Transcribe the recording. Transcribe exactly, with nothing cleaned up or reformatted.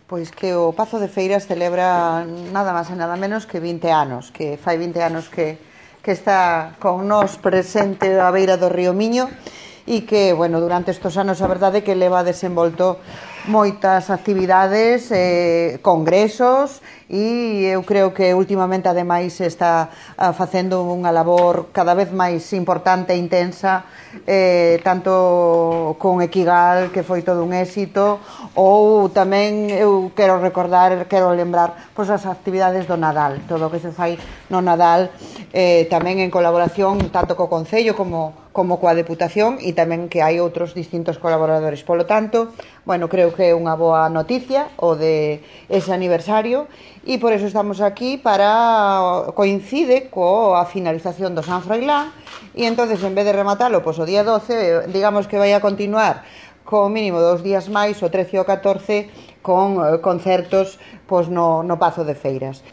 Pois que o Pazo de Feiras celebra nada máis e nada menos que vinte anos, que fai vinte anos que, que está con nós presente á beira do río Miño e que, bueno, durante estes anos a verdade que leva desenvolto moitas actividades, eh, congresos e eu creo que últimamente ademais está facendo unha labor cada vez máis importante e intensa, eh, tanto con Equigal, que foi todo un éxito, ou tamén eu quero recordar, quero lembrar pois as actividades do Nadal, todo o que se fai no Nadal, eh, tamén en colaboración tanto co Concello como como coa Deputación e tamén que hai outros distintos colaboradores. Polo tanto, bueno, creo que é unha boa noticia o de ese aniversario e por eso estamos aquí para coincide coa finalización do San Froilán e entonces en vez de rematalo pois o día doce, digamos que vai a continuar co mínimo dos días máis, o trece e o catorce, con concertos pois no, no Pazo de Feiras.